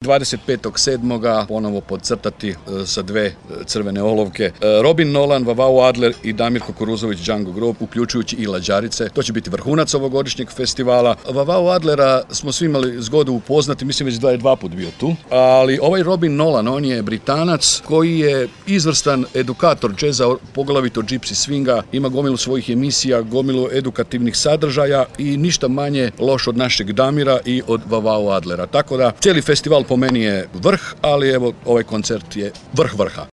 25.7. ponovo podcrtati sa dve crvene olovke. Robin Nolan, Vavao Adler i Damir Kukuruzović Django Grob, uključujući i Lađarice. To će biti vrhunac ovogodišnjeg festivala. Vavao Adlera smo svi imali zgodu upoznati, mislim već da je dva put bio tu. Ali ovaj Robin Nolan, on je Britanac koji je izvrstan edukator džeza, poglavito gypsy swinga, ima gomilu svojih emisija, gomilu edukativnih sadržaja i ništa manje loš od našeg Damira i od Vavao Adlera. Tako da cijeli festival po meni je vrh, ali evo ovaj koncert je vrh vrha.